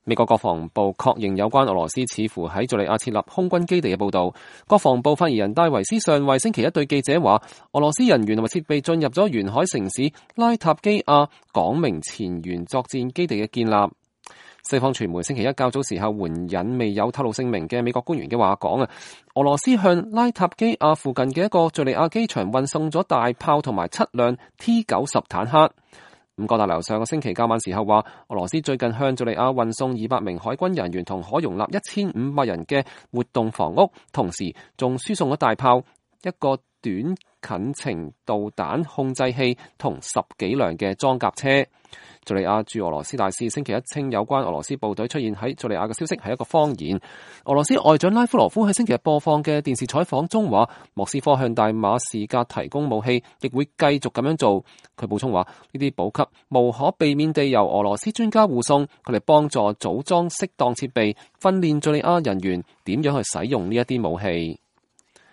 美國國防部確認有關俄羅斯似乎喺敘利亞設立空軍基地嘅報導。國防部發言人戴維斯上尉星期一對記者話，俄羅斯人員同埋設備進入咗沿海城市拉塔基亞，講明前沿作戰基地嘅建立。西方傳媒星期一較早時候援引未有透露姓名嘅美國官員嘅話講啊，俄羅斯向拉塔基亞附近嘅一個敘利亞機場運送咗大炮同埋7輛 T-90坦克。五角大樓上個星期較晚時候話，俄羅斯最近向敘利亞運送200名海軍人員同可容納1500人嘅活動房屋，同時仲輸送咗大炮、一個短近程導彈控制器同10幾輛嘅裝甲車。敘利亞駐俄羅斯大使星期一稱，有關俄羅斯部隊出現喺敘利亞嘅消息係一個謊言。俄羅斯外長拉夫羅夫喺星期日播放嘅電視採訪中話，莫斯科向大馬士革提供武器，亦會繼續咁樣做。佢補充話，呢啲補給無可避免地由俄羅斯專家護送，佢哋幫助組裝適當設備，訓練敘利亞人員點樣去使用呢一啲武器。